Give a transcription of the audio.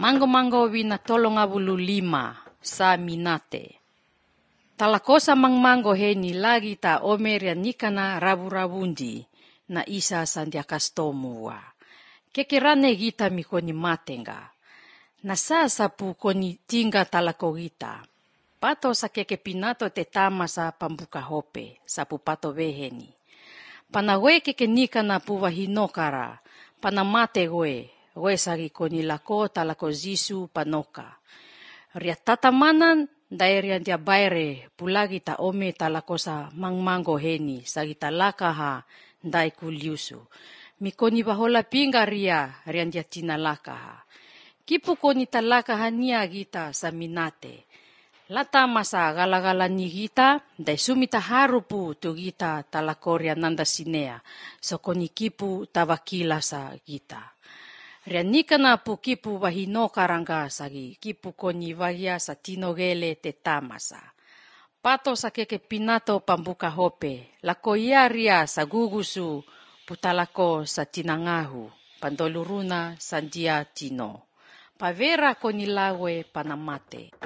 Mango wina 35 sa minate. Talakosa mangmango heni lagi ta omeria nikana rabu-rabundi na isa sandia kastomua. Kekirane gita mikoni matenga. Nasa sapu koni tinga talako gita. Pato sa keke pinato te tama sa pambuka hope, sapu pato beheni. Panawe keke nikana puwa hinokara, panamate we sagi koni lako talako zisu panoka. Ria tatamanan daeria dia baire pulagi ta ome talakosa mangmango heni sagi talaka ha dai kuliusu. Mikoni bahola pinga ria dia tinalaka ha. Kipu koni talaka hania gita sa minate. Lata masa gala-gala ni gita dai sumita harupu tu gita talakoria nanda sinea. So koni kipu tawakila sa gita. Ria nikana pu kipu wahino karanga sagi kipu koni wahia sa tinogele te tamasa. Pato sa keke pinato pambuka hope, lako ia ria sa gugusu putalako sa tinangahu, pandoluruna sandia tino. Pavera koni lawe panamate.